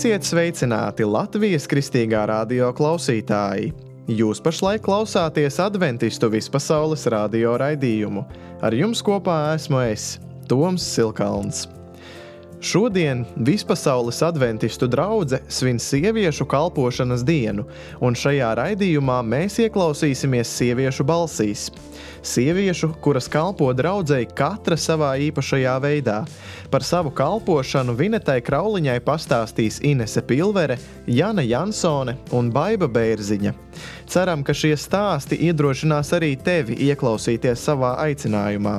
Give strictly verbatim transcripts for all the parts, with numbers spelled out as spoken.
Esiet sveicināti Latvijas Kristīgā radio klausītāji! Jūs pašlaik klausāties Adventistu vispasaules radio raidījumu. Ar jums kopā esmu es, Toms Silkalns. Šodien Vispasaules adventistu draudze svin sieviešu kalpošanas dienu, un šajā raidījumā mēs ieklausīsimies sieviešu balsīs. Sieviešu, kuras kalpo draudzei katra savā īpašajā veidā. Par savu kalpošanu Vinetai Krauliņai pastāstīs Inese Pilvere, Jana Jansone un Baiba Bērziņa. Ceram, ka šie stāsti iedrošinās arī tevi ieklausīties savā aicinājumā.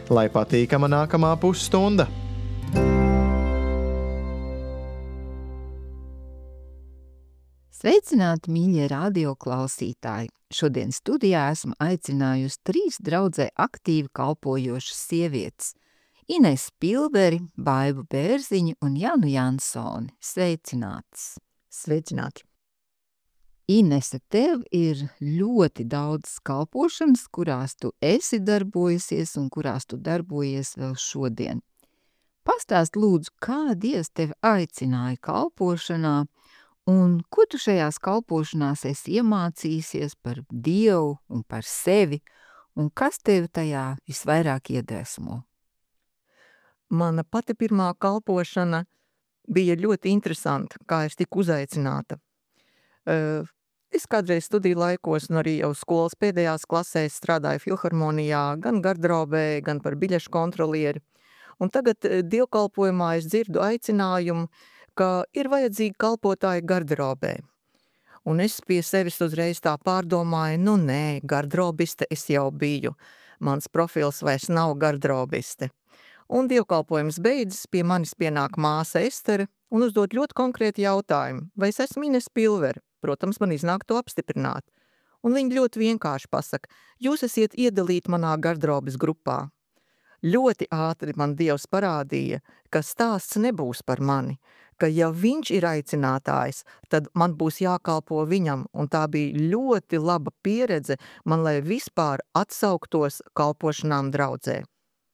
Lai patīkama nākamā pusstunda! Sveicināti, mīļie radio klausītāji! Šodien studijā esmu aicinājusi trīs draudzē aktīvi kalpojošas sievietes – Inesu Pilveri, Baibu Bērziņu un Janu Jansoni. Sveicinātas! Sveicināti! Inese, tev ir ļoti daudz kalpošanas, kurās tu esi darbojusies un kurās tu darbojies vēl šodien. Pastāst lūdzu, kā Dievs tevi aicināja kalpošanā, un ko tu šajās kalpošanās esi iemācījusies par Dievu un par sevi, un kas tevi tajā visvairāk iedvesmo? Mana pati pirmā kalpošana bija ļoti interesanta, kā es tiku uzaicināta. Es kādreiz studiju laikos un arī jau skolas pēdējās klasēs strādāju filharmonijā, gan gardrobē, gan par biļešu kontrolieri. Un tagad dievkalpojumā es dzirdu aicinājumu, ka ir vajadzīgi kalpotāji gardrobē. Un es pie sevis uzreiz tā pārdomāju, nu nē, gardrobiste es jau biju. Mans profils vairs nav gardrobiste. Un dievkalpojums beidzas, pie manis pienāk māsa Estere un uzdod ļoti konkrēti jautājumu, vai es esmu Inese Pilvere. Protams, man iznāk to apstiprināt. Un viņa ļoti vienkārši pasaka, jūs esiet iedalīti manā gardrobes grupā. Ļoti ātri man Dievs parādīja, ka stāsts nebūs par mani, ka ja viņš ir aicinātājs, tad man būs jākalpo viņam, un tā bija ļoti laba pieredze man, lai vispār atsauktos kalpošanām draudzē.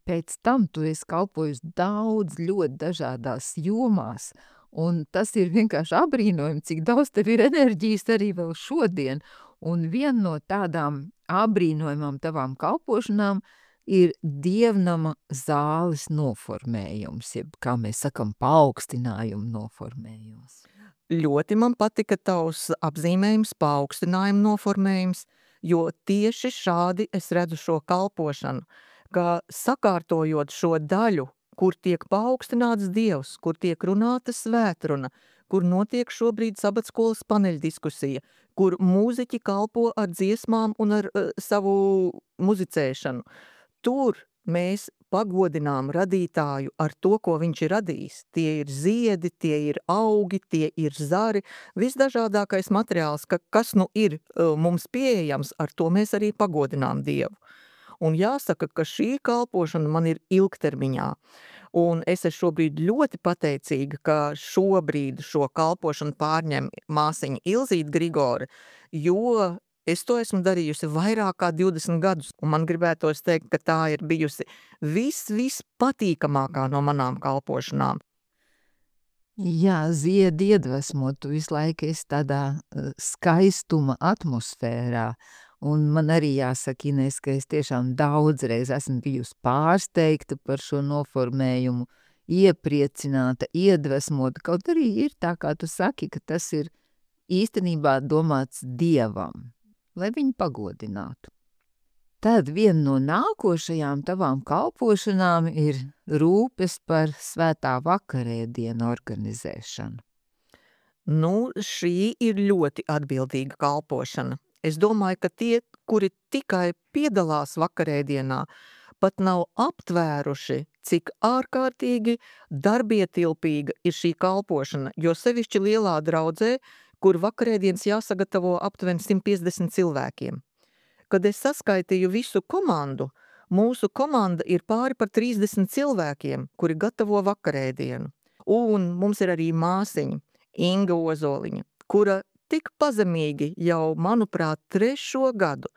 Pēc tam tu esi kalpojusi daudz ļoti dažādās jomās, un tas ir vienkārši abrīnojami, cik daudz tev ir enerģijas arī vēl šodien, un viena no tādām abrīnojamām tavām kalpošanām ir dievnama zāles noformējums, jeb, kā mēs sakam, paaugstinājuma noformējums. Ļoti man patika tavs apzīmējums paaugstinājuma noformējums, jo tieši šādi es redzu šo kalpošanu, ka sakārtojot šo daļu, kur tiek paaugstināts Dievs, kur tiek runāta svētruna, kur notiek šobrīd sabatskolas paneļdiskusija, kur mūziķi kalpo ar dziesmām un ar uh, savu muzicēšanu. Tur mēs pagodinām radītāju ar to, ko viņš ir radījis. Tie ir ziedi, tie ir augi, tie ir zari, visdažādākais materiāls, ka, kas nu ir uh, mums pieejams, ar to mēs arī pagodinām Dievu. Un jāsaka, ka šī kalpošana man ir ilgtermiņā. Un es esmu šobrīd ļoti pateicīga, ka šobrīd šo kalpošanu pārņem māsiņa Ilzīte Grigore, jo es to esmu darījusi vairāk kā divdesmit gadus, un man gribētos teikt, ka tā ir bijusi vis, vis patīkamākā no manām kalpošanām. Jā, ziedi iedvesmo, tu visu laiku esi tādā uh, skaistuma atmosfērā, un man arī jāsaka, Ines, ka es tiešām daudzreiz esmu bijusi pārsteigta par šo noformējumu, iepriecināta, iedvesmota, kaut arī ir tā, kā tu saki, ka tas ir īstenībā domāts Dievam, lai viņu pagodinātu. Tad viena no nākošajām tavām kalpošanām ir rūpes par svētā vakarēdienu organizēšanu. Nu, šī ir ļoti atbildīga kalpošana. Es domāju, ka tie, kuri tikai piedalās vakarēdienā, pat nav aptvēruši, cik ārkārtīgi darbietilpīga ir šī kalpošana, jo sevišķi lielā draudzē, kur vakarēdienas jāsagatavo aptuveni simt piecdesmit cilvēkiem. Kad es saskaitīju visu komandu, mūsu komanda ir pāri par trīsdesmit cilvēkiem, kuri gatavo vakarēdienu. Un mums ir arī māsiņa, Inga Ozoliņa, kura tik pazemīgi jau, manuprāt, trešo gadu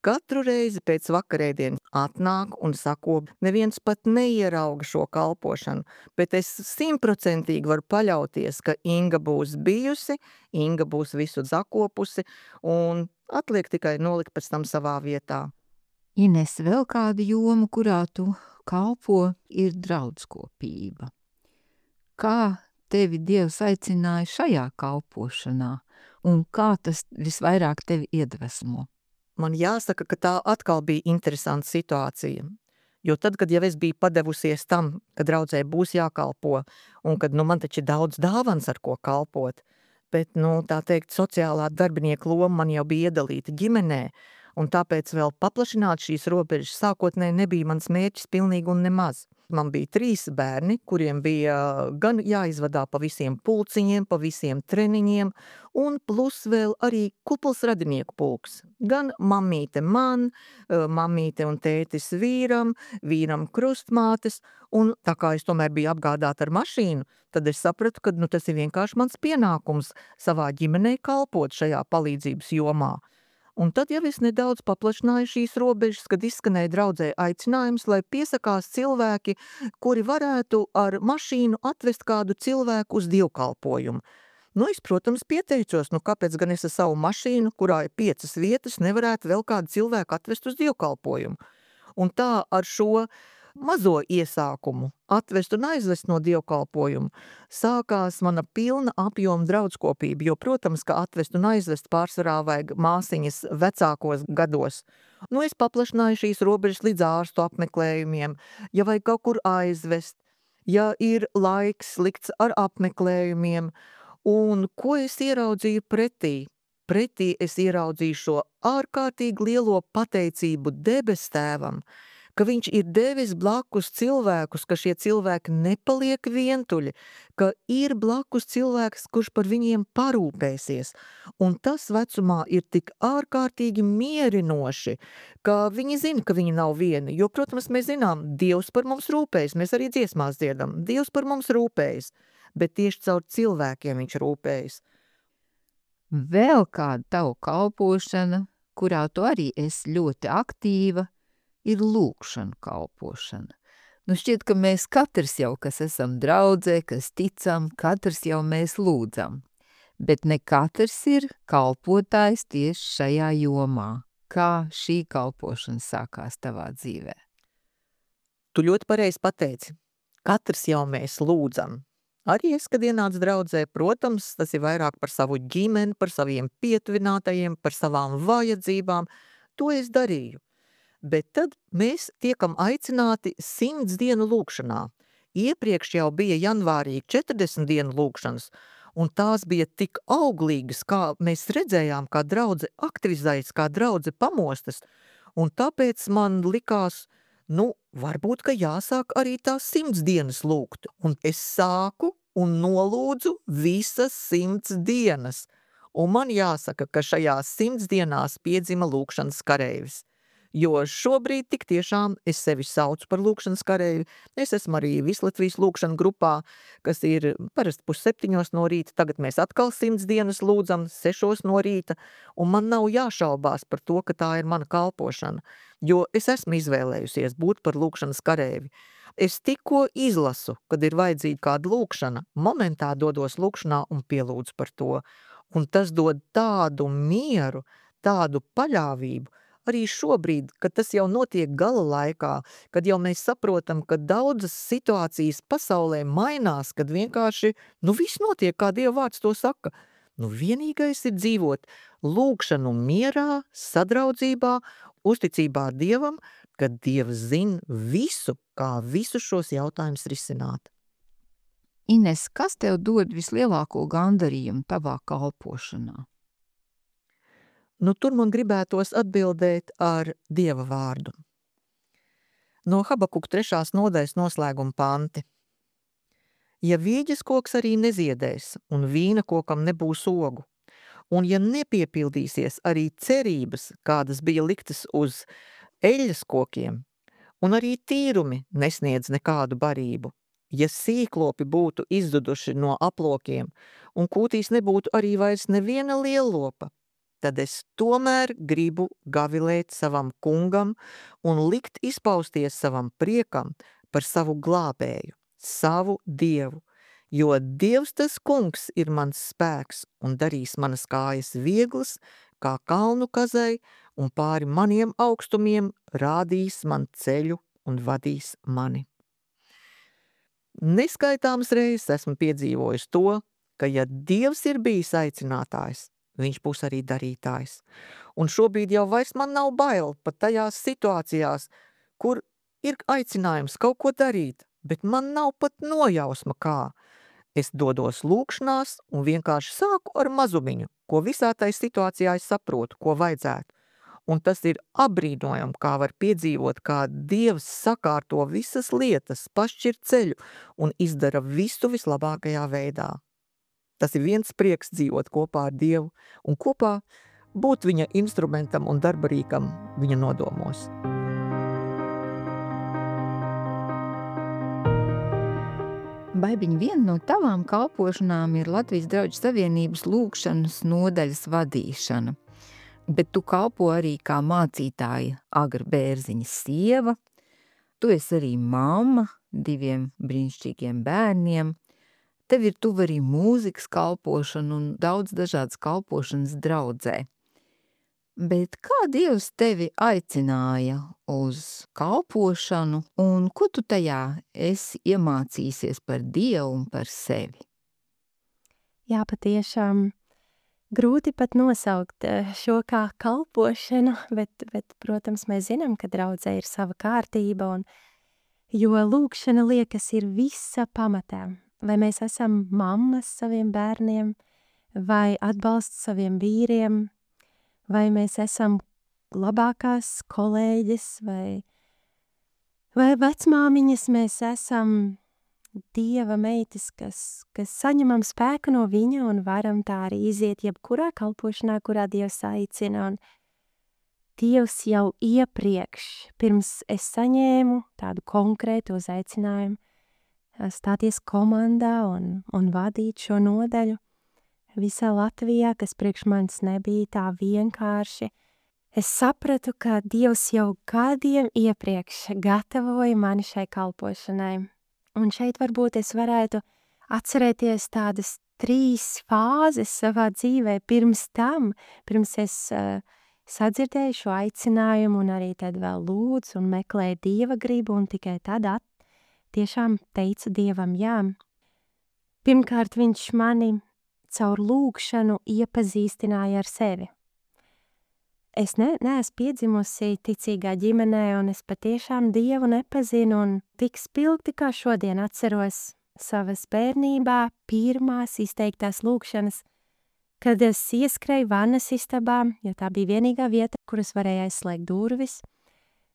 Katru reizi pēc vakarēdienas atnāk un sako, neviens pat neierauga šo kalpošanu, bet es simtprocentīgi varu paļauties, ka Inga būs bijusi, Inga būs visu zakopusi un atliek tikai nolikt pēc tam savā vietā. Ines, vēl kāda joma, kurā tu kalpo, ir draudskopība. Kā tevi Dievs aicināja šajā kalpošanā un kā tas visvairāk tevi iedvesmo? Man jāsaka, ka tā atkal bija interesanta situācija. Jo tad, kad jau es biju padevusies tam, ka draudzē būs jākalpo un kad nu, man taču ir daudz dāvans, ar ko kalpot, bet, nu, tā teikt, sociālā darbinieka loma man jau bija iedalīta ģimenē, un tāpēc vēl paplašināt šīs robežas sākotnēji nebija mans mērķis pilnīgi un nemaz. Man bija trīs bērni, kuriem bija gan jāizvadā pa visiem pulciņiem, pa visiem treniņiem, un plus vēl arī kupls radinieku pulks. Gan mammīte man, mammīte un tētis vīram, vīram krustmātes, un tā kā es tomēr biju apgādāta ar mašīnu, tad es sapratu, ka nu, tas ir vienkārši mans pienākums savā ģimenei kalpot šajā palīdzības jomā. Un tad jau es nedaudz paplašināju šīs robežas, kad izskanēja draudzē aicinājums, lai piesakās cilvēki, kuri varētu ar mašīnu atvest kādu cilvēku uz dievkalpojumu. Nu, es, protams, pieteicos, nu kāpēc gan es ar savu mašīnu, kurā ir piecas vietas, nevarētu vēl kādu cilvēku atvest uz dievkalpojumu. Un tā ar šo mazo iesākumu atvest un aizvest no dievkalpojumu sākās mana pilna apjoma draudskopība, jo, protams, ka atvest un aizvest pārsvarā vajag māsiņas vecākos gados. Nu, es paplašināju šīs robežas līdz ārstu apmeklējumiem, ja vajag kaut kur aizvest, ja ir laiks likts ar apmeklējumiem, un ko es ieraudzīju pretī? Pretī es ieraudzīju šo ārkārtīgi lielo pateicību debes tēvam, ka viņš ir devis blakus cilvēkus, ka šie cilvēki nepaliek vientuļi, ka ir blakus cilvēks, kurš par viņiem parūpēsies. Un tas vecumā ir tik ārkārtīgi mierinoši, ka viņi zina, ka viņi nav vieni. Jo, protams, mēs zinām, Dievs par mums rūpējas, mēs arī dziesmās dziedam, Dievs par mums rūpējas, bet tieši caur cilvēkiem viņš rūpējas. Vēl kāda tavu kalpošana, kurā tu arī esi ļoti aktīva, ir lūgšana kalpošana. Nu šķiet, ka mēs katrs jau, kas esam draudzē, kas ticam, katrs jau mēs lūdzam. Bet ne katrs ir kalpotājs tieši šajā jomā. Kā šī kalpošana sākās tavā dzīvē? Tu ļoti pareizi pateici. Katrs jau mēs lūdzam. Arī es, kad ienācu draudzē, protams, tas ir vairāk par savu ģimeni, par saviem pietuvinātajiem, par savām vajadzībām. To es darīju. Bet tad mēs tiekam aicināti simts dienu lūgšanā. Iepriekš jau bija janvārī četrdesmit dienu lūgšanas, un tās bija tik auglīgas, kā mēs redzējām, kā draudze aktivizējas, kā draudze pamostas, un tāpēc man likās, nu, varbūt, ka jāsāk arī tās simts dienas lūgt, un es sāku un nolūdzu visas simts dienas, un man jāsaka, ka šajās simts dienās piedzima lūgšanas kareivis. Jo šobrīd tik tiešām es sevi saucu par lūgšanas kareivi. Es esmu arī Vislatvijas lūgšana grupā, kas ir parasti pusseptiņos no rīta. Tagad mēs atkal simts dienas lūdzam sešos no rīta, un man nav jāšaubās par to, ka tā ir mana kalpošana, jo es esmu izvēlējusies būt par lūgšanas kareivi. Es tikko izlasu, kad ir vajadzīga kāda lūgšana, momentā dodos lūgšanā un pielūdzu par to. Un tas dod tādu mieru, tādu paļāvību, arī šobrīd, kad tas jau notiek gala laikā, kad jau mēs saprotam, ka daudzas situācijas pasaulē mainās, kad vienkārši, nu viss notiek, kā Dieva vārds to saka. Nu vienīgais ir dzīvot lūgšanu mierā, sadraudzībā, uzticībā Dievam, kad Dievs zina visu, kā visus šos jautājumus risināt. Ines, kas tev dod vislielāko gandarījumu tavā kalpošanā? Nu, tur man gribētos atbildēt ar Dieva vārdu. No Habakuka trešās nodaļas noslēguma panti. Ja vīģes koks arī neziedēs, un vīna kokam nebūs ogu, un ja nepiepildīsies arī cerības, kādas bija liktas uz eļļas kokiem, un arī tīrumi nesniedz nekādu barību, ja sīklopi būtu izduduši no aplokiem, un kūtīs nebūtu arī vairs neviena lielopa, tad es tomēr gribu gavilēt savam kungam un likt izpausties savam priekam par savu glābēju, savu Dievu, jo Dievs tas kungs ir mans spēks un darīs manas kājas vieglas, kā kalnu kazai, un pāri maniem augstumiem rādīs man ceļu un vadīs mani. Neskaitāmas reizes esmu piedzīvojis to, ka ja Dievs ir bijis aicinātājs, viņš būs arī darītājs. Un šobrīd jau vairs man nav bail pat tajās situācijās, kur ir aicinājums kaut ko darīt, bet man nav pat nojausma kā. Es dodos lūkšanās un vienkārši sāku ar mazumiņu, ko visā tai situācijā es saprotu, ko vajadzētu. Un tas ir apbrīnojami, kā var piedzīvot, kā Dievs sakārto visas lietas, pašķir ceļu un izdara visu vislabākajā veidā. Tas ir viens prieks dzīvot kopā ar Dievu un kopā būt viņa instrumentam un darbarīkam viņa nodomos. Baibiņ, viena no tavām kalpošanām ir Latvijas Drauģu Savienības lūkšanas nodaļas vadīšana, bet tu kalpo arī kā mācītāja Agra Bērziņa sieva, tu esi arī mamma diviem brīnišķīgiem bērniem, tev ir tuva arī mūzikas kalpošana un daudz dažādas kalpošanas draudzē. Bet kā Dievs tevi aicināja uz kalpošanu un ko tu tajā esi iemācīsies par Dievu un par sevi? Jā, patiešām grūti pat nosaukt šo kā kalpošanu, bet, bet protams, mēs zinām, ka draudzē ir sava kārtība, un, jo lūkšana liekas ir visa pamatā. Vai mēs esam mammas saviem bērniem, vai atbalsts saviem vīriem, vai mēs esam labākās kolēģis, vai, vai vecmāmiņas, mēs esam Dieva meitas, kas, kas saņemam spēku no viņa un varam tā arī iziet jebkurā kalpošanā, kurā Dievs aicina. Un Dievs jau iepriekš, pirms es saņēmu tādu konkrētu uzaicinājumu, stāties komandā un, un vadīt šo nodaļu visā Latvijā, kas priekš manis nebija tā vienkārši. Es sapratu, ka Dievs jau gadiem iepriekš gatavoja mani šai kalpošanai. Un šeit varbūt es varētu atcerēties tādas trīs fāzes savā dzīvē pirms tam, pirms es uh, sadzirdēju šo aicinājumu un arī tad vēl lūdzu un meklēju Dieva gribu un tikai tad at, tiešām teicu Dievam jā. Pirmkārt, viņš mani caur lūkšanu iepazīstināja ar sevi. Es ne, neesmu piedzimusi ticīgā ģimenē, un es patiešām Dievu nepazinu, un tik spilgti kā šodien atceros savas bērnībā pirmās izteiktās lūkšanas, kad es ieskrēju vannas istabā, jo tā bija vienīgā vieta, kuras varēja aizslēgt durvis.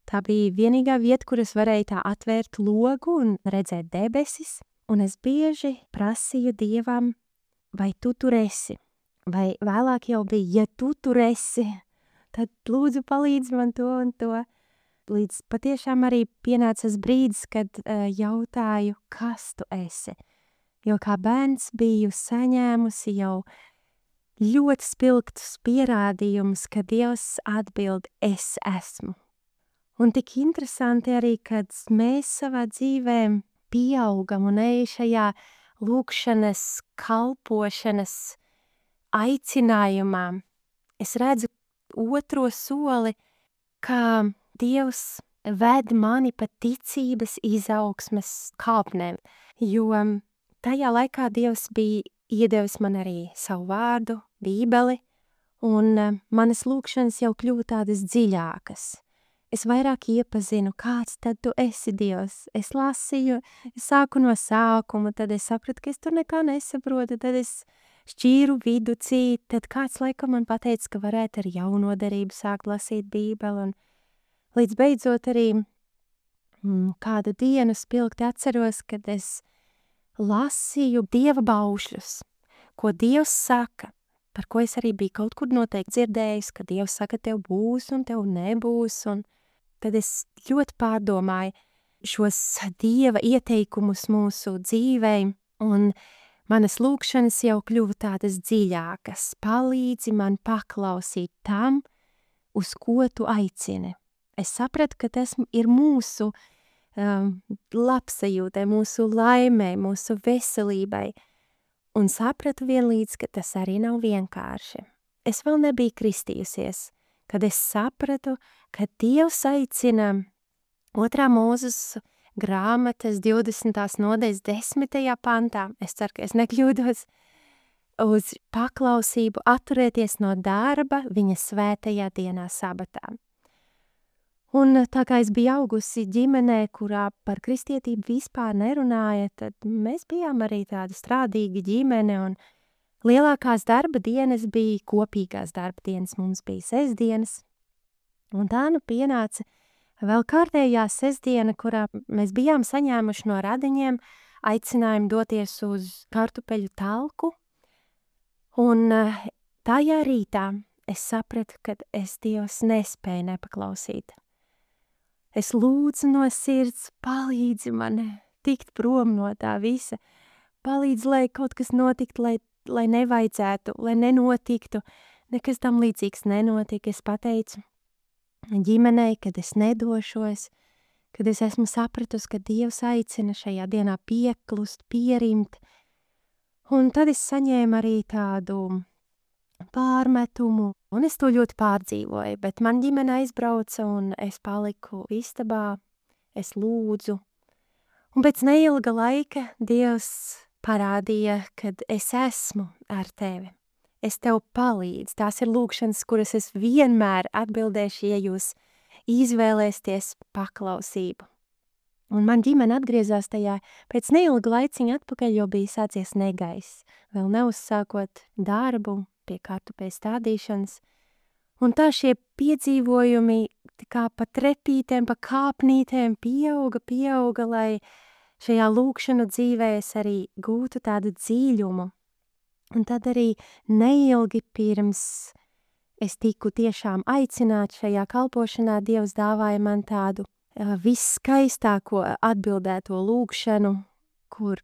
Tā bija vienīgā vieta, kuras varēja tā atvērt logu un redzēt debesis, un es bieži prasīju Dievam, vai tu tur esi, vai vēlāk jau bija, ja tu tur esi, tad lūdzu palīdz man to un to. Līdz patiešām arī pienācas brīdis, kad uh, jautāju, kas tu esi. Jo kā bērns biju saņēmusi jau ļoti spilgtus pierādījumus, ka Dievs atbild, es esmu. Un tik interesanti arī, kad mēs savā dzīvē pieaugam un ej šajā lūkšanas, kalpošanas aicinājumā. Es redzu otro soli, kā Dievs ved mani pa ticības izaugsmes kāpnēm, jo tajā laikā Dievs bija iedevis man arī savu vārdu, bībeli, un manas lūkšanas jau kļuva tādas dziļākas. Es vairāk iepazinu, kāds tad tu esi Dievs. Es lasīju, es sāku no sākuma, tad es sapratu, ka es tur nekā nesaprotu, tad es šķīru viducī, tad kāds laikam man pateica, ka varētu ar jauno derību sākt lasīt bībeli, un līdz beidzot arī mm, kādu dienu spilgti atceros, kad es lasīju Dieva baušļus, ko Dievs saka, par ko es arī biju kaut kur noteikti dzirdējis, ka Dievs saka, tev būs un tev nebūs, un tad es ļoti pārdomāju šos Dieva ieteikumus mūsu dzīvei, un Manas lūkšanas jau kļuva tādas dziļākas. Palīdzi man paklausīt tam, uz ko tu aicini. Es sapratu, ka tas ir mūsu um, labsajūtai, mūsu laimei, mūsu veselībai. Un sapratu vienlīdz, ka tas arī nav vienkārši. Es vēl nebiju kristījusies, kad es sapratu, ka Dievs aicina otrā Mūzes grāmatas divdesmitās nodaļas desmitajā pantā, es ceru, ka es nekļūdos, uz paklausību atturēties no darba viņa svētajā dienā sabatā. Un tā kā es biju augusi ģimenē, kurā par kristietību vispār nerunāja, tad mēs bijām arī tāda strādīga ģimene, un lielākās darba dienas bija kopīgās darba dienas, mums bija sestdienas, un tā nu pienāca vēl kārtējā sestdiena, kurā mēs bijām saņēmuši no radiņiem aicinājumu doties uz kartupeļu talku, un tajā rītā es sapratu, ka es Dievs nespēju nepaklausīt. Es lūdzu no sirds, palīdzi man tikt prom no tā visa, palīdzi, lai kaut kas notikt, lai, lai nevajadzētu, lai nenotiktu, nekas tam līdzīgs nenotika. Es pateicu ģimenei, kad es nedošos, kad es esmu sapratusi, ka Dievs aicina šajā dienā pieklust, pierimt, un tad es saņēmu arī tādu pārmetumu, un es to ļoti pārdzīvoju, bet man ģimene aizbrauca, un es paliku istabā, es lūdzu, un pēc neilga laika Dievs parādīja, kad es esmu ar tevi. Es tev palīdzu, tās ir lūkšanas, kuras es vienmēr atbildēšu, ja jūs izvēlēsties paklausību. Un man ģimene atgriezās tajā pēc neilga laiciņa atpakaļ, jo bija sācies negaiss, vēl neuzsākot darbu pie kartupeļu stādīšanas. Un tā šie piedzīvojumi tā kā pa trepītēm, pa kāpnītēm pieauga, pieauga, lai šajā lūkšanu dzīvē es arī gūtu tādu dziļumu. Un tad arī neilgi pirms es tiku tiešām aicināt šajā kalpošanā, Dievs dāvāja man tādu uh, visskaistāko atbildēto lūkšanu, kur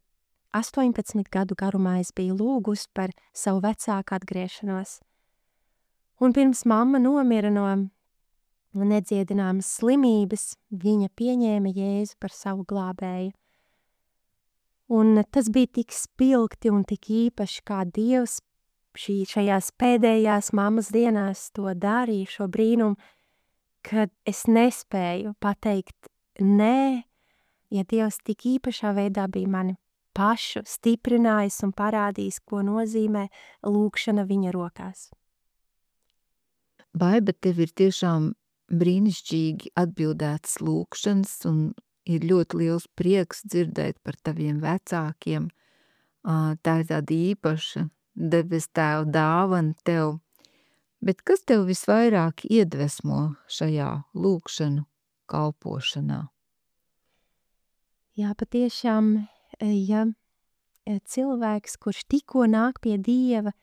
astoņpadsmit gadu garumā es biju lūgus par savu vecāku atgriešanos. Un pirms mamma nomira no nedziedināmas slimības, viņa pieņēma Jēzu par savu glābēju. Un tas bija tik spilgti un tik īpaši, kā Dievs šī, šajās pēdējās mammas dienās to darīja, šo brīnumu, kad es nespēju pateikt nē, ja Dievs tik īpašā veidā bija mani pašu stiprinājis un parādījis, ko nozīmē lūkšana viņa rokās. Baiba, tev ir tiešām brīnišķīgi atbildētas lūkšanas un ir ļoti liels prieks dzirdēt par taviem vecākiem. Tā ir tāda īpaša debes tēva dāvana tev. Bet kas tev visvairāk iedvesmo šajā lūkšanu kalpošanā? Jā, patiešām, ja cilvēks, kurš tikko nāk pie Dieva,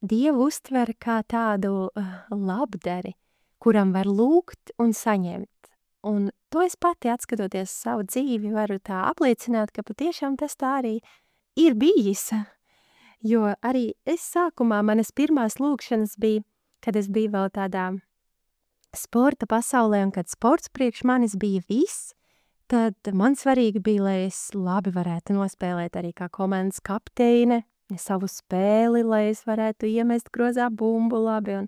Dievu uztver kā tādu labdari, kuram var lūgt un saņemt. Un to es pati, atskatoties savu dzīvi, varu tā apliecināt, ka patiešām tas tā arī ir bijis. Jo arī es sākumā, manas pirmās lūkšanas bija, kad es biju vēl tādā sporta pasaulē, un kad sports priekš manis bija viss, tad man svarīgi bija, lai es labi varētu nospēlēt arī kā komandas kapteine, savu spēli, lai es varētu iemest grozā bumbu labi, un,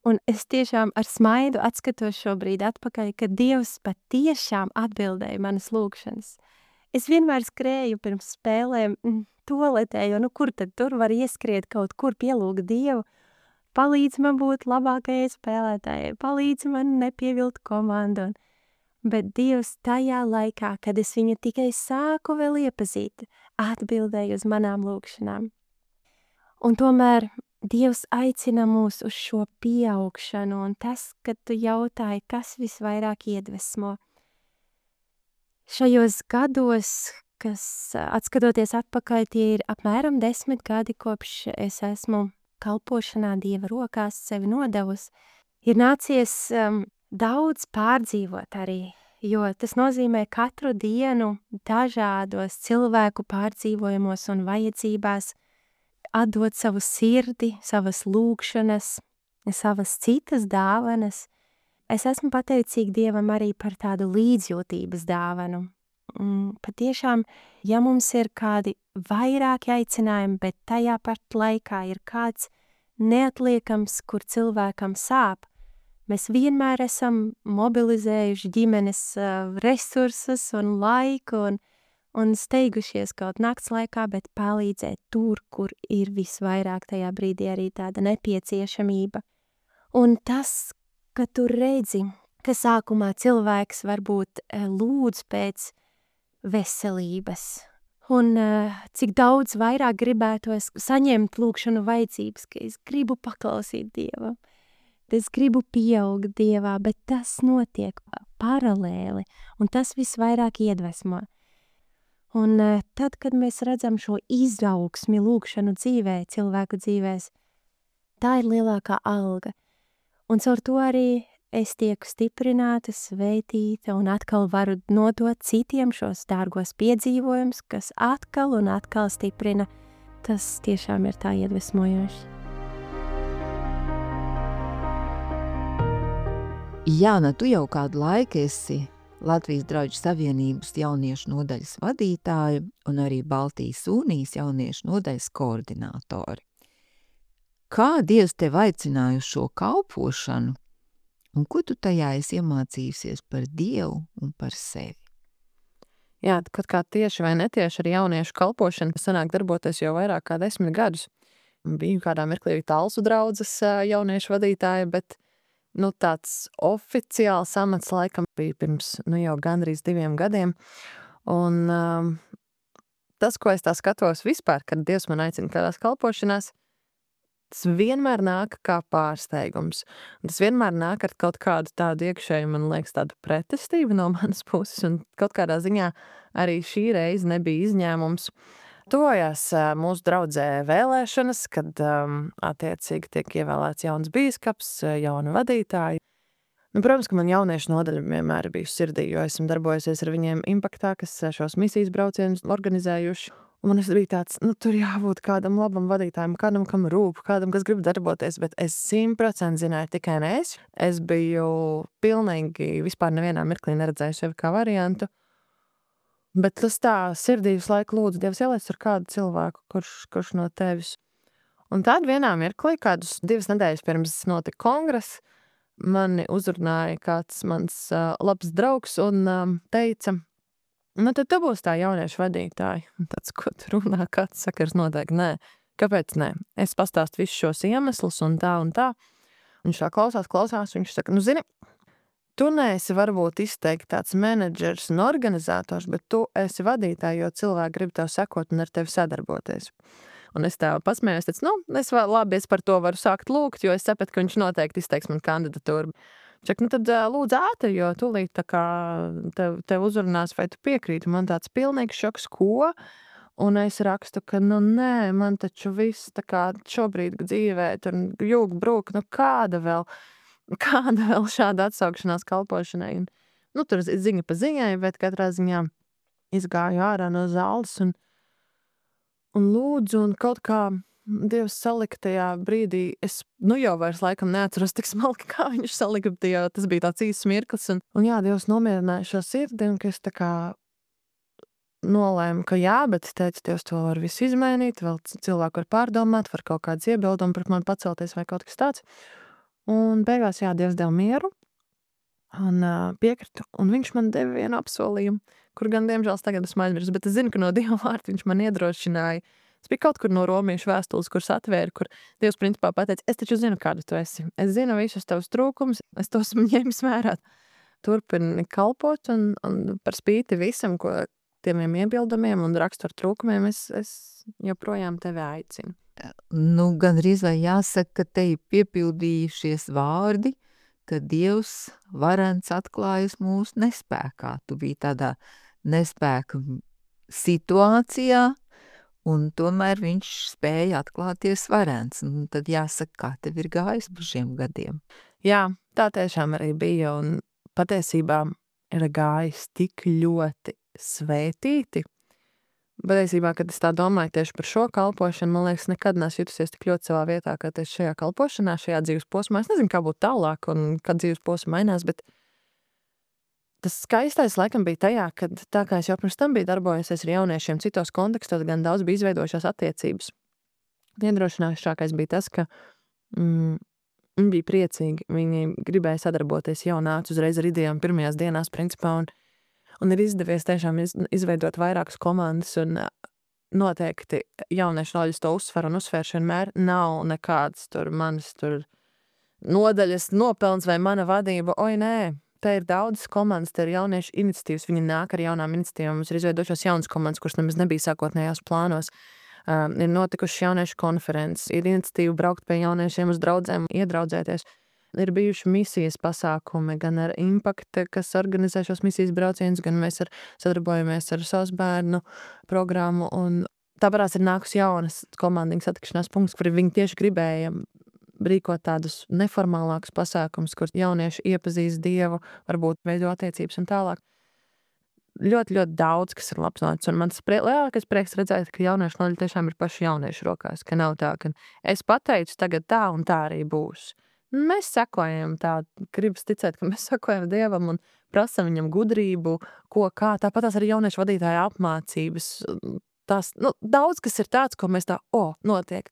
un es tiešām ar smaidu atskatos šobrīd atpakaļ, ka Dievs patiešām atbildēja manas lūkšanas. Es vienmēr skrēju pirms spēlēm toaletē, jo nu kur tad tur var ieskriet kaut kur pielūgt Dievu, palīdz man būt labākajai spēlētājai, palīdz man nepievilt komandu, un bet Dievs tajā laikā, kad es viņu tikai sāku vēl iepazīt, atbildēja uz manām lūkšanām. Un tomēr Dievs aicina mūs uz šo pieaugšanu, un tas, kad tu jautāji, kas visvairāk iedvesmo. Šajos gados, kas atskatoties atpakaļ, tie ir apmēram desmit gadi, kopš es esmu kalpošanā Dieva rokās sevi nodevusi, ir nācies um, daudz pārdzīvot arī jo tas nozīmē katru dienu dažādos cilvēku pārdzīvojumos un vajadzībās atdot savu sirdi, savas lūgšanas, savas citas dāvanas. Es esmu pateicīga Dievam arī par tādu līdzjūtības dāvanu. Mm, patiešām, ja mums ir kādi vairāki aicinājumi, bet tajā pat laikā ir kāds neatliekams, kur cilvēkam sāp, mēs vienmēr esam mobilizējuši ģimenes uh, resursus un laiku un, un steigušies kaut nakts laikā, bet palīdzēt tur, kur ir visvairāk tajā brīdī arī tāda nepieciešamība. Un tas, ka tu redzi, ka sākumā cilvēks varbūt uh, lūdz pēc veselības, un uh, cik daudz vairāk gribētos saņemt lūkšanu vajadzības, ka es gribu paklausīt Dievam, es gribu pieaugt Dievā, bet tas notiek paralēli, un tas visvairāk iedvesmo. Un uh, tad, kad mēs redzam šo izaugsmi lūkšanu dzīvē, cilvēku dzīvēs, tā ir lielākā alga. Un caur to arī es tieku stiprināta, svētīta un atkal varu nodot citiem šos dārgos piedzīvojumus, kas atkal un atkal stiprina. Tas tiešām ir tā iedvesmojoši. Jāna, tu jau kādu laiku esi Latvijas Draugu Savienības jauniešu nodaļas vadītāja un arī Baltijas Unijas jauniešu nodaļas koordinātori. Kā Dievs tev aicināja uz šo kalpošanu? Un ko tu tajā esi iemācījusies par Dievu un par sevi? Jā, kaut kā tieši vai netieši ar jauniešu kalpošanu sanāk darboties jau vairāk kā desmit gadus. Biju kādā mirklī Talsu draudzes jauniešu vadītāja, bet nu, tāds oficiāls amats laikam bija pirms nu, jau gandrīz diviem gadiem. Un um, tas, ko es tā skatos vispār, kad Dievs man aicina kādās kalpošanās, tas vienmēr nāk kā pārsteigums. Tas vienmēr nāk ar kaut kādu tādu iekšēju, man liekas, tādu pretestību no manas puses, un kaut kādā ziņā arī šī reize nebija izņēmums. Tojās mūsu draudzē vēlēšanas, kad um, attiecīgi tiek ievēlēts jauns bīskaps, jauna vadītāja. Nu, protams, ka man jauniešu nodaļa vienmēr bija sirdī, jo esmu darbojusies ar viņiem Impaktā, kas šos misijas braucienus organizējuši. Un man bija tāds, nu, tur jābūt kādam labam vadītājam, kādam, kam rūp, kādam, kas grib darboties, bet es simt procenti zināju tikai ne es. Es biju pilnīgi vispār nevienā mirklī neredzēju sevi kā variantu. Bet tas tā sirdī visu laiku lūdzu, Dievs ieliec ar kādu cilvēku, kurš, kurš no tevis. Un tad vienā mirklī, kādus divas nedēļas pirms notika kongress, mani uzrunāja kāds mans uh, labs draugs un um, teica, nu, tad tu būs tā jauniešu vadītāja. Un tāds, ko tu runā, kāds sakars noteikti, nē. Kāpēc nē? Es pastāstu visus šos iemeslus un tā un tā. Viņš tā klausās, klausās, viņš saka, nu, zini, tu neesi varbūt izteikti tāds menedžers un organizators, bet tu esi vadītāja, jo cilvēki grib tev sekot un ar tevi sadarboties. Un es tā pasmējos, teicu, nu, es vēl labi, es par to varu sākt lūgt, jo es sapratu, ka viņš noteikti izteiks man kandidatūru. Čak, nu tad lūdzu ātri, jo tūlīt tā kā tev, tev uzrunās, vai tu piekrīti. Man tāds pilnīgs šoks, ko? Un es rakstu, ka nu nē, man taču viss tā kā šobrīd dzīvē, tur jūg brūk, nu kāda vēl, kāda vēl šāda atsaukšanās kalpošanai. Un, nu tur ziņa pa ziņai, bet katrā ziņā izgāju ārā no zāles un, un lūdzu, un kaut kā Dievs salika tajā brīdī, es nu jau vairs laikam neatceros tik smalki, kā viņš salika, jo tas bija tāds īsts mirklis. Un, un jā, Dievs nomierināja šo sirdi, un ka es tā kā nolēmu, ka jā, bet teicu, Dievs to var visu izmainīt, vēl cilvēku var pārdomāt, var kaut kāds iebildumi pret mani pacelties vai kaut kas tāds. Un beigās, jā, Dievs deva mieru un uh, piekritu, un viņš man deva vienu apsolījumu, kur gan, diemžēl, tagad esmu aizmirsis, bet es zinu, ka no Dieva vārta viņš man iedrošināja. Tas bija kaut kur no romiešu vēstules, kuras atvēra, kur Dievs principā pateica, es taču zinu, kādu tu esi. Es zinu visus tavus trūkumus, es tos ņēmis vērā. Turpini kalpot un, un par spīti visam, ko tiem iebildumiem un raksturu trūkumiem, es, es joprojām tevi aicinu. Nu, gandrīz vai jāsaka, ka te ir piepildījušies vārdi, ka Dievs varens atklājas mūsu nespēkā. Tu biji tādā nespēka situācijā, un tomēr viņš spēja atklāties varens. Un tad jāsaka, kā tev ir gājis pa šiem gadiem. Jā, tā tiešām arī bija, un patiesībā ir gājis tik ļoti svētīti. Patiesībā, kad es tā domāju tieši par šo kalpošanu, man liekas, nekad neesmu jutusies tik ļoti savā vietā, kā tieši šajā kalpošanā, šajā dzīves posmā. Es nezinu, kā būtu tālāk un kad dzīves posma mainās, bet tas skaistais laikam bija tajā, kad tā kā es jau pirms tam biju darbojusies ar jauniešiem citos kontekstos, gan daudz bija izveidojušās attiecības. Iedrošināšākais bija tas, ka mm, viņi bija priecīgi, viņi gribēja sadarboties, jau nāca uzreiz ar idejām pirmajās dienās principā, un, un ir izdevies tiešām iz, izveidot vairākas komandas, un noteikti jauniešu noļas to uzsver un uzsvērš vienmēr nav nekāds tur manas tur nodaļas nopelns vai mana vadība, oi nē. Te ir daudzas komandas, te ir jauniešu iniciatīvas, viņi nāk ar jaunām iniciatīvām, mums ir izveidojušās jaunas komandas, kuras nemaz nebija sākotnējās plānos. Um, ir notikušas jauniešu konferences, ir iniciatīva braukt pie jauniešiem uz draudzēm, iedraudzēties. Ir bijuši misijas pasākumi, gan ar Impact, kas organizē šos misijas braucienus, gan mēs ar, sadarbojamies ar savas bērnu programmu, un tāpēc ir nākusi jaunas komandiņas satikšanās punkts, kuri viņi tieši gribēja rīkot tādus neformālākus pasākumus, kur jaunieši iepazīst Dievu, varbūt veido attiecības un tālāk. Ļoti, ļoti daudz, kas ir labs noticis, un mans prie, lielākais prieks redzēt, ka jauniešu nodaļa tiešām ir paši jauniešu rokās, ka nav tā, ka es pateicu tagad tā un tā arī būs. Mēs sekojam tā, gribas ticēt, ka mēs sekojam Dievam un prasam viņam gudrību, ko kā, tāpat tās arī jauniešu vadītāja apmācības. Tās, nu, daudz, kas ir tāds, ko mēs tā, o, notiek.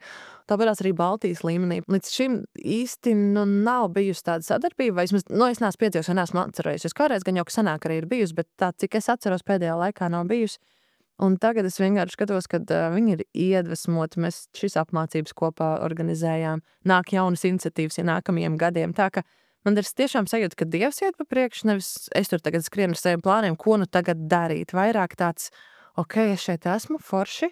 Tāpēc arī Baltijas līmenī. Līdz šim īsti nu, nav bijusi tāda sadarbība, vai es, nu, es neesmu piedzīvojis, vai neesmu atcerējusies. Kādreiz gan jau, ka senāk arī ir bijusi, bet tā, cik es atceros pēdējā laikā nav bijusi. Un tagad es vienkārši skatos, kad uh, viņi ir iedvesmoti, mēs šis apmācības kopā organizējām, nāk jaunas iniciatīvas ja nākamajiem gadiem. Tā, ka man ir tiešām sajūta, ka Dievs iet pa priekšu, nevis es tur tagad skrienu ar saviem plāniem, ko nu tagad darīt. Vairāk tāds, ok, es šeit esmu forši,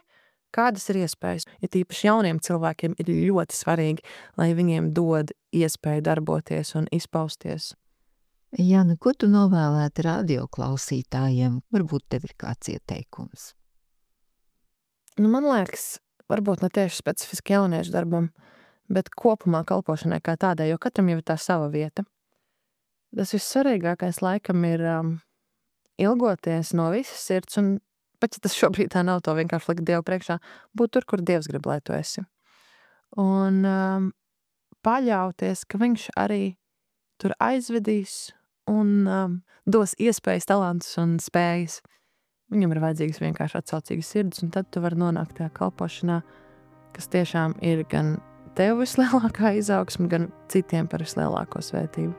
kādas ir iespējas. Ja tīpaši jauniem cilvēkiem ir ļoti svarīgi, lai viņiem dod iespēju darboties un izpausties. Jāna, ko tu novēlētu radioklausītājiem? Varbūt tev ir kāds ieteikums. Nu, man liekas, varbūt ne tieši specifiski jauniešu darbam, bet kopumā kalpošanai kā tādai, jo katram jau ir tā sava vieta. Tas vissvarīgākais laikam ir um, ilgoties no visas sirds un pat ja tas šobrīd tā nav, to vienkārši likt Dievu priekšā, būt tur, kur Dievs grib, lai tu esi. Un um, paļauties, ka viņš arī tur aizvedīs un um, dos iespējas, talantus un spējas. Viņam ir vajadzīgas vienkārši atsaucīgas sirds, un tad tu vari nonākt tajā kalpošanā, kas tiešām ir gan tev vislielākā izaugsme, gan citiem par vislielāko svētību.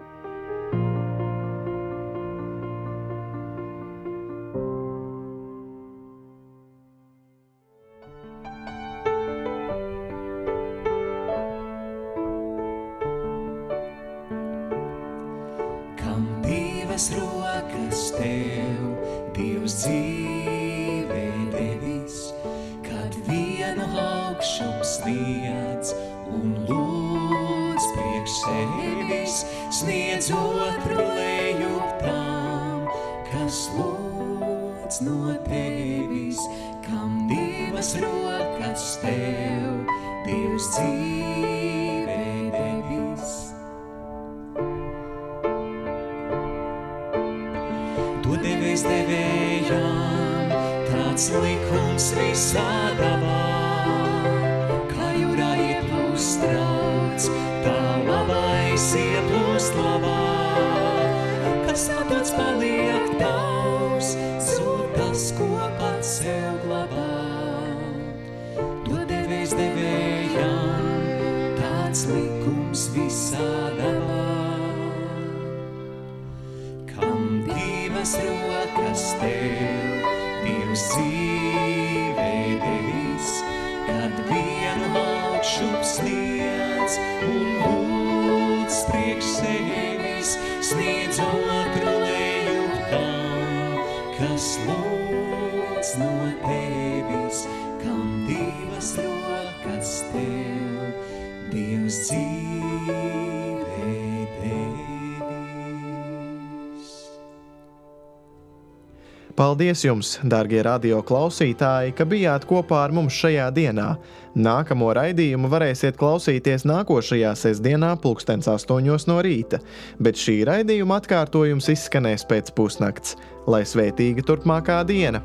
Rokas tev, Dievs dzīvē devis, kad vienu augšup sniedz un lūdz priekš sevis, sniedz otru lejup tam, kas lūdz no tevis, kam divas rokas tev, Dievs dzīvē devis. To devēs devējām, tāds likums visā dabā, kā jūrā ieplūst trauc, tā labais ieplūst labā, kas atdots paliek tavs, zūd tas, ko pats sev glabā. To devēs devējām, tāds likums visā dabā. Rokas tev, Dievs dzīvē devis, kad vienu augšup sniedz un lūdz priekš sevis, sniedz otru lejup tam, kas lūdz no tevis, kam divas rokas tev, Dievs dzīvē devis. Paldies jums, dārgie radio klausītāji, ka bijāt kopā ar mums šajā dienā. Nākamo raidījumu varēsiet klausīties nākošajā sestdienā pulkstens astoņos no rīta, bet šī raidījuma atkārtojums izskanēs pēc pusnakts. Lai svētīga turpmākā diena!